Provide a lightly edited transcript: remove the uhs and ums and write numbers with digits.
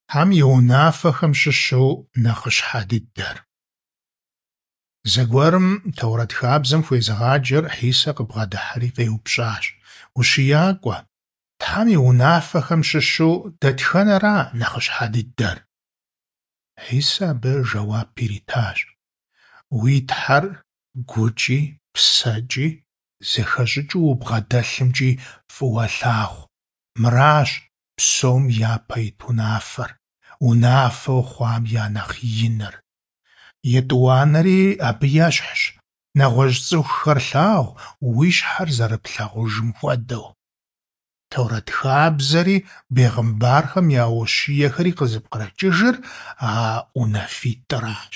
Тхьэм и унафэхэм щыщу нэхъыщхьэ дыдэр. Зэгуэрым Торэт хабзэм хуезыгъаджэр Хьисэ къыбгъэдыхьэри къеупщӀащ: УщиякӀуэ, Тхьэм и унафэхэм щыщу дэтхэнэра нэхъыщхьэ дыдэр? Хьисэ абы жэуап иритащ: Уи Тхьэр гукӀи, псэкӀи, зэхэщӀыкӀыу убгъэдэлъымкӀи фӀыуэ лъагъу. Мыращ псом япэ ит унафэр, унафэу хъуам я нэхъ иныр. ЕтӀуанэри абы ещхьщ: нэгъуэщӀ цӀыхухэр лъагъу, уи щхьэр зэрыплъагъужым хуэдэу. Торэт хабзэри бегъымбархэм я ущиехэри къызыпкърыкӀыжыр а унафитӀыращ.